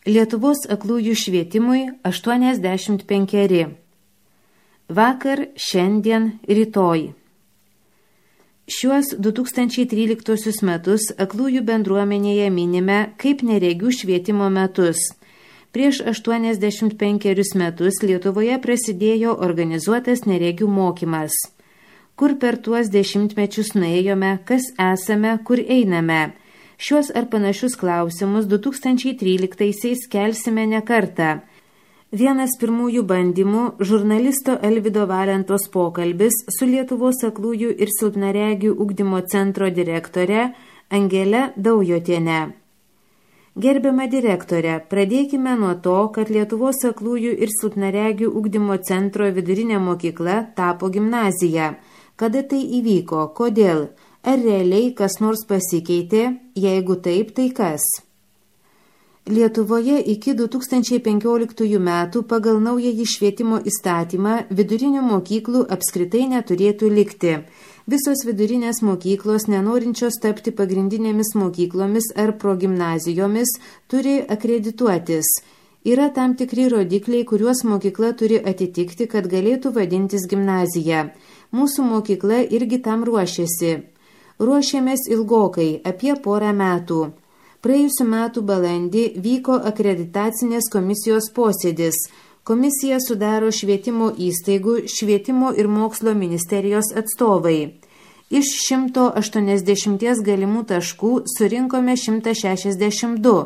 Lietuvos aklųjų švietimui 85. Vakar, šiandien, rytoj. Šiuos 2013 metus aklųjų bendruomenėje minime kaip neregių švietimo metus. Prieš 85 metus Lietuvoje prasidėjo organizuotas neregių mokymas. Kur per tuos dešimtmečius nuėjome, kas esame, kur einame? Šios ar panašius klausimus 2013-aisiais kelsime ne kartą. Vienas pirmųjų bandymų žurnalisto Alvydo Valentos pokalbis su Lietuvos aklųjų ir silpnaregių ugdymo centro direktore Angele Daujotiene. Gerbiama direktore, pradėkime nuo to, kad Lietuvos aklųjų ir silpnaregių ugdymo centro vidurinė mokykla tapo gimnazija. Kada tai įvyko? Kodėl? Ar realiai kas nors pasikeitė? Jeigu taip, tai kas? Lietuvoje iki 2015 metų pagal naująjį švietimo įstatymą vidurinių mokyklų apskritai neturėtų likti. Visos vidurinės mokyklos, nenorinčios tapti pagrindinėmis mokyklomis ar progimnazijomis, turi akredituotis. Yra tam tikri rodikliai, kuriuos mokykla turi atitikti, kad galėtų vadintis gimnazija. Mūsų mokykla irgi tam ruošiasi. Ruošėmės ilgokai, apie porą metų. Praėjusiu metu balandį vyko akreditacinės komisijos posėdis. Komisiją sudaro švietimo įstaigų, švietimo ir mokslo ministerijos atstovai. Iš 180 galimų taškų surinkome 162.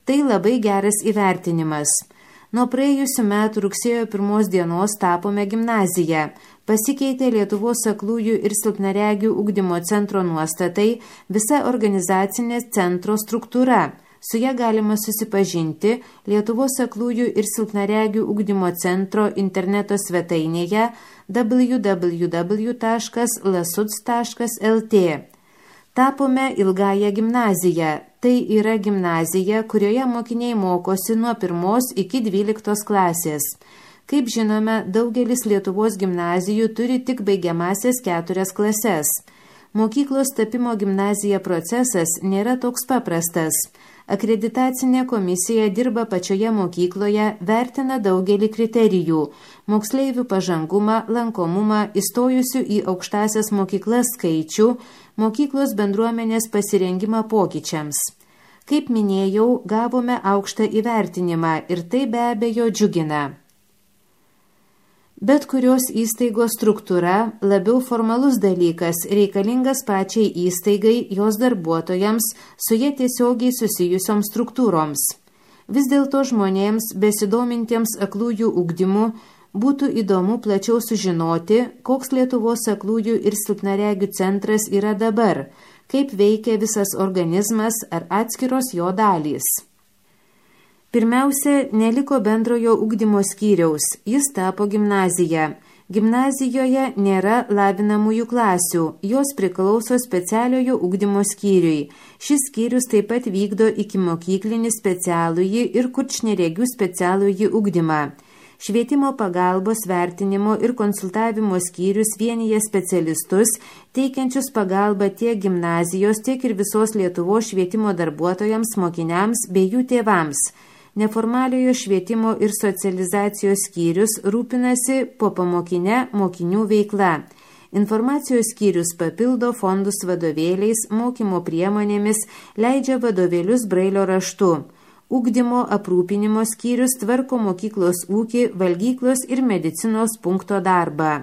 Tai labai geras įvertinimas. Nuo praėjusiu metu rugsėjo 1 dienos tapome gimnaziją. Pasikeitė Lietuvos aklųjų ir silpnaregių ugdymo centro nuostatai, visa organizacinė centro struktūra. Su ja galima susipažinti Lietuvos aklųjų ir silpnaregių ugdymo centro interneto svetainėje www.lasuts.lt. Tapome ilgąją gimnaziją. Tai yra gimnazija, kurioje mokiniai mokosi nuo 1 iki 12 klasės. Kaip žinome, daugelis Lietuvos gimnazijų turi tik baigiamasias 4 klases. Mokyklos tapimo gimnazija procesas nėra toks paprastas. Akreditacinė komisija dirba pačioje mokykloje, vertina daugelį kriterijų – moksleivių pažangumą, lankomumą, įstojusių į aukštąsias mokyklas skaičių, mokyklos bendruomenės pasirengimą pokyčiams. Kaip minėjau, gavome aukštą įvertinimą ir tai be abejo džiugina. Bet kurios įstaigos struktūra labiau formalus dalykas, reikalingas pačiai įstaigai, jos darbuotojams, su jie tiesiogiai susijusioms struktūroms. Vis dėlto žmonėms, besidomintiems aklųjų ugdymu, būtų įdomu plačiau sužinoti, koks Lietuvos aklųjų ir silpnaregių centras yra dabar, kaip veikia visas organizmas ar atskiros jo dalys. Pirmiausia, neliko bendrojo ugdymo skyriaus, jis tapo gimnazija. Gimnazijoje nėra lavinamųjų klasių, jos priklauso specialiojo ugdymo skyriui. Šis skyrius taip pat vykdo ikimokyklinį specialųjį ir kurčneregių specialųjį ugdymą. Švietimo pagalbos vertinimo ir konsultavimo skyrius vienyje specialistus, teikiančius pagalbą tiek gimnazijos, tiek ir visos Lietuvos švietimo darbuotojams, mokiniams bei jų tėvams. Neformaliojo švietimo ir socializacijos skyrius rūpinasi popamokinę mokinių veikla. Informacijos skyrius papildo fondus vadovėliais, mokymo priemonėmis, leidžia vadovėlius brailio raštu. Ugdymo aprūpinimo skyrius tvarko mokyklos ūkį, valgyklos ir medicinos punkto darbą.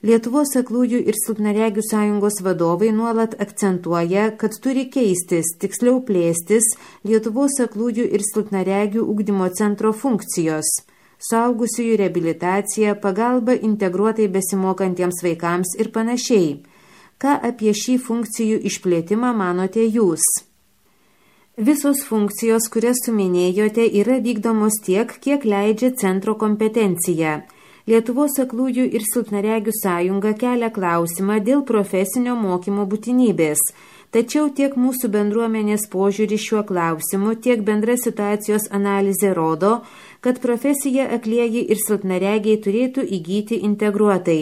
Lietuvos aklųjų ir silpnaregių sąjungos vadovai nuolat akcentuoja, kad turi keistis, tiksliau plėstis Lietuvos aklųjų ir silpnaregių ugdymo centro funkcijos. Suaugusiųjų reabilitacija, pagalba integruotai besimokantiems vaikams ir panašiai. Ką apie šį funkcijų išplėtimą manote jūs? Visos funkcijos, kurias suminėjote, yra vykdomos tiek, kiek leidžia centro kompetencija. Lietuvos aklųjų ir silpnaregių sąjunga kelia klausimą dėl profesinio mokymo būtinybės. Tačiau tiek mūsų bendruomenės požiūrį šiuo klausimu, tiek bendra situacijos analizė rodo, kad profesiją aklieji ir silpnaregiai turėtų įgyti integruotai.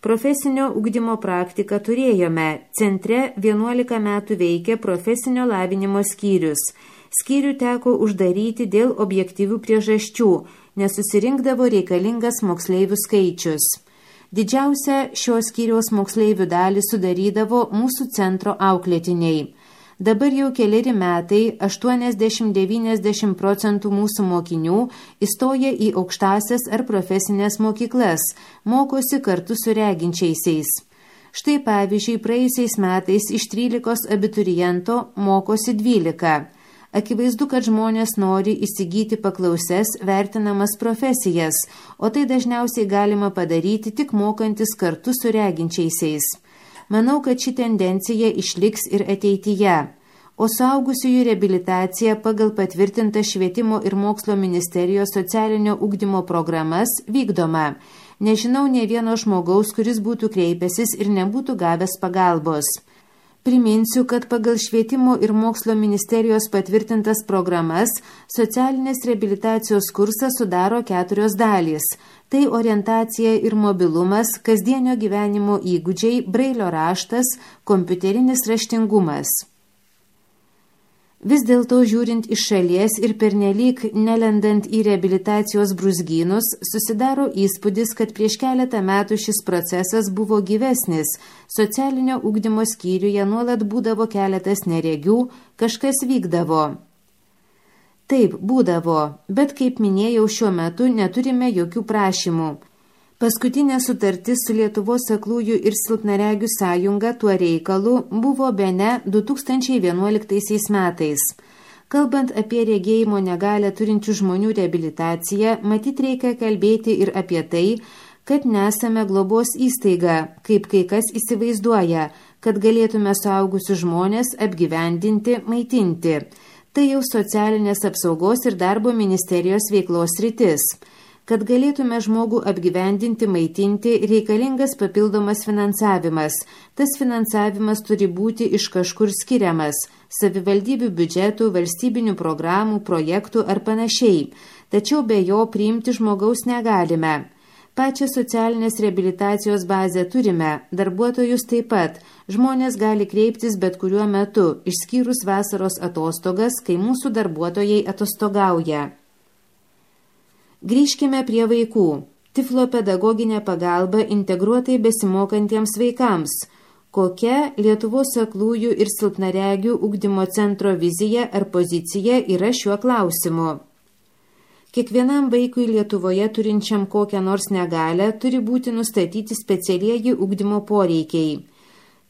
Profesinio ugdymo praktiką turėjome. Centre 11 metų veikia profesinio lavinimo skyrius. Skyrių teko uždaryti dėl objektyvių priežasčių, nes susirinkdavo reikalingas moksleivių skaičius. Didžiausią šio skyriaus moksleivių dalį sudarydavo mūsų centro auklėtiniai. Dabar jau keleri metai 80–90% mūsų mokinių įstoja į aukštąsias ar profesinės mokyklas, mokosi kartu su reginčiaisiais. Štai pavyzdžiui, praėjusiais metais iš 13 abituriento mokosi 12. Akivaizdu, kad žmonės nori įsigyti paklausias vertinamas profesijas, o tai dažniausiai galima padaryti tik mokantis kartu su reginčiaisiais. Manau, kad ši tendencija išliks ir ateityje, o suaugusiųjų reabilitacija pagal patvirtintą Švietimo ir mokslo ministerijos socialinio ugdymo programas vykdoma. Nežinau nė vieno žmogaus, kuris būtų kreipęsis ir nebūtų gavęs pagalbos. Priminsiu, kad pagal Švietimo ir mokslo ministerijos patvirtintas programas socialinės reabilitacijos kursą sudaro 4 dalys. Tai orientacija ir mobilumas, kasdienio gyvenimo įgūdžiai, brailio raštas, kompiuterinis raštingumas. Vis dėlto žiūrint iš šalies ir pernelyg nelendant į reabilitacijos brūzgynus, susidaro įspūdis, kad prieš keletą metų šis procesas buvo gyvesnis. Socialinio ugdymo skyriuje nuolat būdavo keletas neregių, kažkas vykdavo. Taip, būdavo, bet kaip minėjau, šiuo metu neturime jokių prašymų. Paskutinė sutartis su Lietuvos aklųjų ir silpnaregių sąjunga tuo reikalu buvo bene 2011 metais. Kalbant apie regėjimo negalią turinčių žmonių reabilitaciją, matyt reikia kalbėti ir apie tai, kad nesame globos įstaiga, kaip kai kas įsivaizduoja, kad galėtume suaugusius žmonės apgyvendinti, maitinti. Tai jau socialinės apsaugos ir darbo ministerijos veiklos sritis. Kad galėtume žmogų apgyvendinti, maitinti, reikalingas papildomas finansavimas. Tas finansavimas turi būti iš kažkur skiriamas – savivaldybių biudžetų, valstybinių programų, projektų ar panašiai. Tačiau be jo priimti žmogaus negalime. Pačią socialinės reabilitacijos bazę turime, darbuotojus taip pat. Žmonės gali kreiptis bet kuriuo metu, išskyrus vasaros atostogas, kai mūsų darbuotojai atostogauja. Grįžkime prie vaikų. Tiflopedagoginė pagalba integruotai besimokantiems vaikams. Kokia Lietuvos aklųjų ir silpnaregių ugdymo centro vizija ar pozicija yra šiuo klausimu? Kiekvienam vaikui Lietuvoje turinčiam kokią nors negalią turi būti nustatyti specialieji ugdymo poreikiai.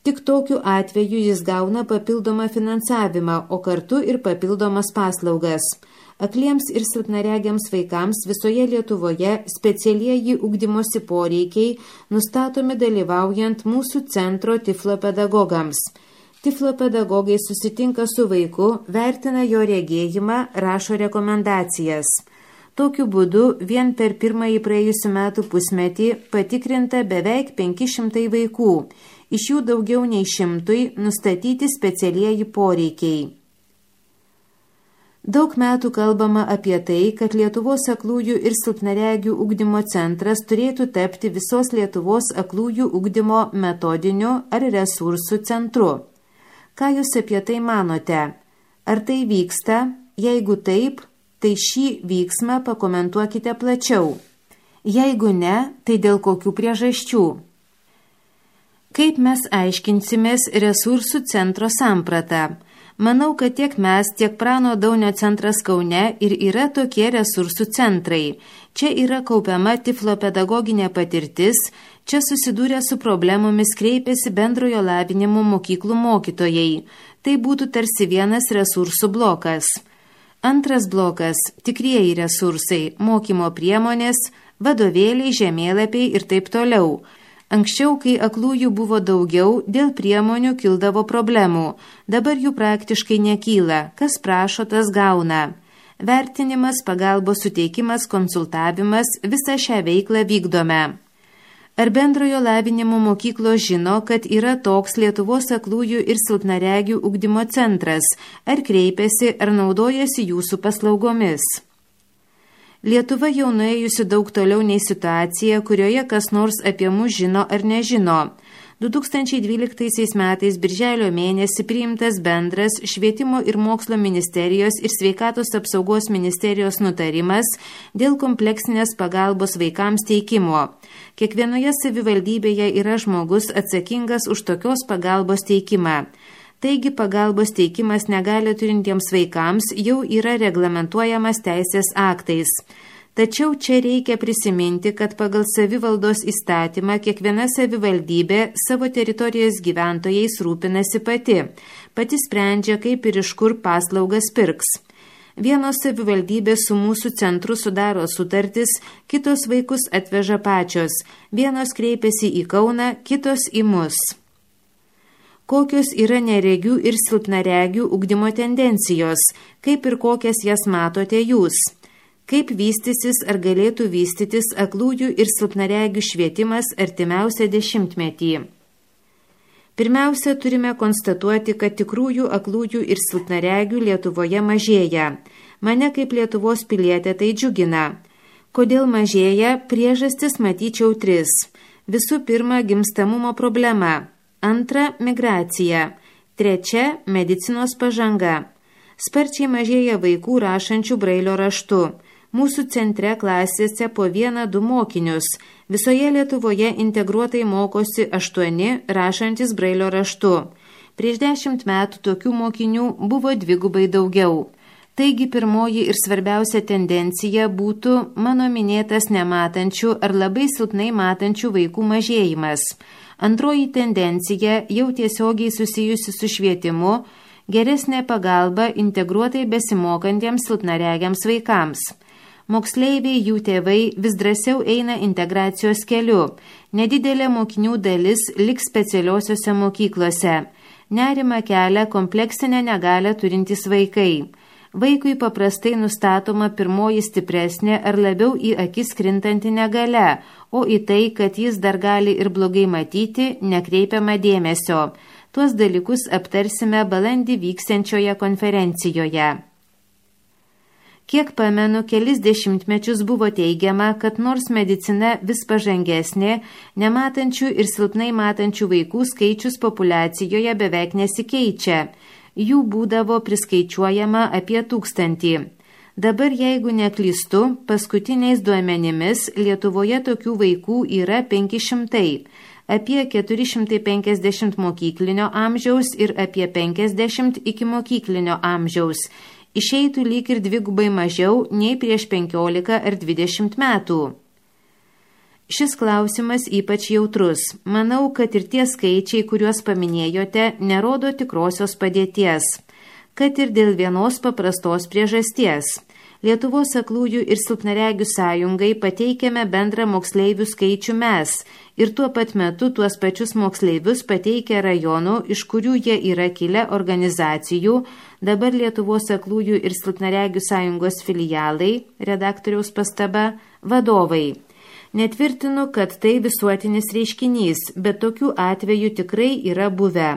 Tik tokiu atveju jis gauna papildomą finansavimą, o kartu ir papildomas paslaugas. Akliems ir silpnaregiams vaikams visoje Lietuvoje specialieji ugdymosi poreikiai nustatomi dalyvaujant mūsų centro tiflopedagogams. Tiflopedagogai susitinka su vaiku, vertina jo regėjimą, rašo rekomendacijas. Tokiu būdu vien per pirmąjį praėjusių metų pusmetį patikrinta beveik 500 vaikų, iš jų daugiau nei 100 nustatyti specialieji poreikiai. Daug metų kalbama apie tai, kad Lietuvos aklųjų ir silpnaregių ugdymo centras turėtų tapti visos Lietuvos aklųjų ugdymo metodiniu ar resursų centru. Ką jūs apie tai manote? Ar tai vyksta? Jeigu taip, tai šį vyksmą pakomentuokite plačiau. Jeigu ne, tai dėl kokių priežasčių? Kaip mes aiškinsimės resursų centro sampratą? Manau, kad tiek mes, tiek Prano Daunio centras Kaune ir yra tokie resursų centrai. Čia yra kaupiama tiflopedagoginė patirtis, čia susidūrę su problemomis kreipiasi bendrojo lavinimo mokyklų mokytojai. Tai būtų tarsi vienas resursų blokas. Antras blokas – tikrieji resursai, mokymo priemonės, vadovėliai, žemėlapiai ir taip toliau. Anksčiau, kai aklųjų buvo daugiau, dėl priemonių kildavo problemų. Dabar jų praktiškai nekyla. Kas prašo, tas gauna. Vertinimas, pagalbos suteikimas, konsultavimas – visą šią veiklą vykdome. Ar bendrojo lavinimo mokyklos žino, kad yra toks Lietuvos aklųjų ir silpnaregių ugdymo centras? Ar kreipiasi, ar naudojasi jūsų paslaugomis? Lietuva jau nuėjusi daug toliau nei situacija, kurioje kas nors apie mus žino ar nežino. 2012 metais birželio mėnesį priimtas bendras Švietimo ir mokslo ministerijos ir Sveikatos apsaugos ministerijos nutarimas dėl kompleksinės pagalbos vaikams teikimo. Kiekvienoje savivaldybėje yra žmogus atsakingas už tokios pagalbos teikimą. Taigi pagalbos teikimas negalio turintiems vaikams jau yra reglamentuojamas teisės aktais. Tačiau čia reikia prisiminti, kad pagal savivaldos įstatymą kiekviena savivaldybė savo teritorijos gyventojais rūpinasi pati sprendžia, kaip ir iš kur paslaugas pirks. Vienos savivaldybės su mūsų centru sudaro sutartis, kitos vaikus atveža pačios, vienos kreipiasi į Kauną, kitos į mus. Kokios yra neregių ir silpnaregių ugdymo tendencijos, kaip ir kokias jas matote jūs? Kaip vystysis ar galėtų vystytis aklųjų ir silpnaregių švietimas artimiausią dešimtmetį? Pirmiausia, turime konstatuoti, kad tikrųjų aklųjų ir silpnaregių Lietuvoje mažėja. Mane kaip Lietuvos pilietė tai džiugina. Kodėl mažėja? Priežastis matyčiau 3. Visų pirma, gimstamumo problema. Antra, migracija. Trečia, medicinos pažanga. Sparčiai mažėja vaikų rašančių brailio raštu. Mūsų centre klasėse po 1-2 mokinius. Visoje Lietuvoje integruotai mokosi 8 rašantis brailio raštu. Prieš 10 metų tokių mokinių buvo 2 daugiau. Taigi pirmoji ir svarbiausia tendencija būtų mano minėtas nematančių ar labai silpnai matančių vaikų mažėjimas. Antroji tendencija jau tiesiogiai susijusi su švietimu, geresnė pagalba integruotai besimokantiems silpnaregiams vaikams. Moksleiviai, jų tėvai vis drąsiau eina integracijos keliu. Nedidelė mokinių dalis liks specialiosiose mokyklose. Nerimą kelia kompleksinę negalią turintys vaikai. Vaikui paprastai nustatoma pirmoji stipresnė ar labiau į akis krintanti negalia, o į tai, kad jis dar gali ir blogai matyti, nekreipiama dėmesio. Tuos dalykus aptarsime balandį vyksiančioje konferencijoje. Kiek pamenu, kelis dešimtmečius buvo teigiama, kad nors medicina vis pažangesnė, nematančių ir silpnai matančių vaikų skaičius populiacijoje beveik nesikeičia. Jų būdavo priskaičiuojama apie 1000. Dabar, jeigu neklystu, paskutiniais duomenimis Lietuvoje tokių vaikų yra 500, apie 450 mokyklinio amžiaus ir apie 50 iki mokyklinio amžiaus. Išeitų lyg ir 2 mažiau nei prieš 15 ar 20 metų. Šis klausimas ypač jautrus. Manau, kad ir tie skaičiai, kuriuos paminėjote, nerodo tikrosios padėties. Kad ir dėl vienos paprastos priežasties. Lietuvos aklųjų ir silpnaregių sąjungai pateikėme bendrą moksleivių skaičių mes ir tuo pat metu tuos pačius moksleivius pateikia rajonų, iš kurių jie yra kilę organizacijų, dabar Lietuvos aklųjų ir silpnaregių sąjungos filialai, redaktoriaus pastaba, vadovai. Netvirtinu, kad tai visuotinis reiškinys, bet tokių atvejų tikrai yra buvę.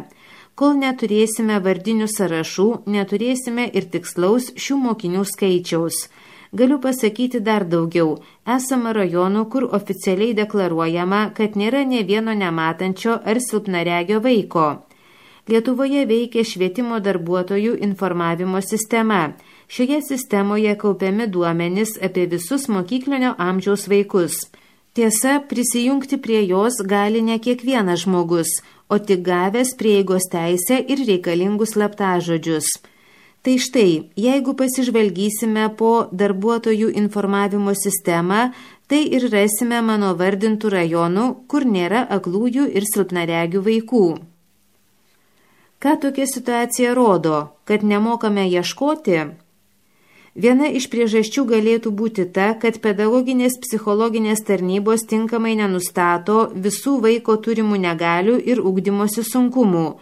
Kol neturėsime vardinių sąrašų, neturėsime ir tikslaus šių mokinių skaičiaus. Galiu pasakyti dar daugiau. Esama rajonų, kur oficialiai deklaruojama, kad nėra nė vieno nematančio ar silpnaregio vaiko. Lietuvoje veikia švietimo darbuotojų informavimo sistema. Šioje sistemoje kaupiami duomenys apie visus mokyklinio amžiaus vaikus. Tiesa, prisijungti prie jos gali ne kiekvienas žmogus, o tik gavęs prieigos teisę ir reikalingus slaptažodžius. Tai štai, jeigu pasižvalgysime po darbuotojų informavimo sistemą, tai ir rasime mano vardintų rajonų, kur nėra aklųjų ir silpnaregių vaikų. Ką tokia situacija rodo, kad nemokame ieškoti? Viena iš priežasčių galėtų būti ta, kad pedagoginės psichologinės tarnybos tinkamai nenustato visų vaiko turimų negalių ir ugdymosi sunkumų.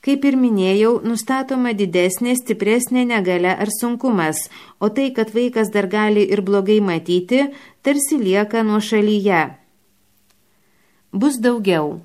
Kaip ir minėjau, nustatoma didesnė, stipresnė negalia ar sunkumas, o tai, kad vaikas dar gali ir blogai matyti, tarsi lieka nuošalyje. Bus daugiau.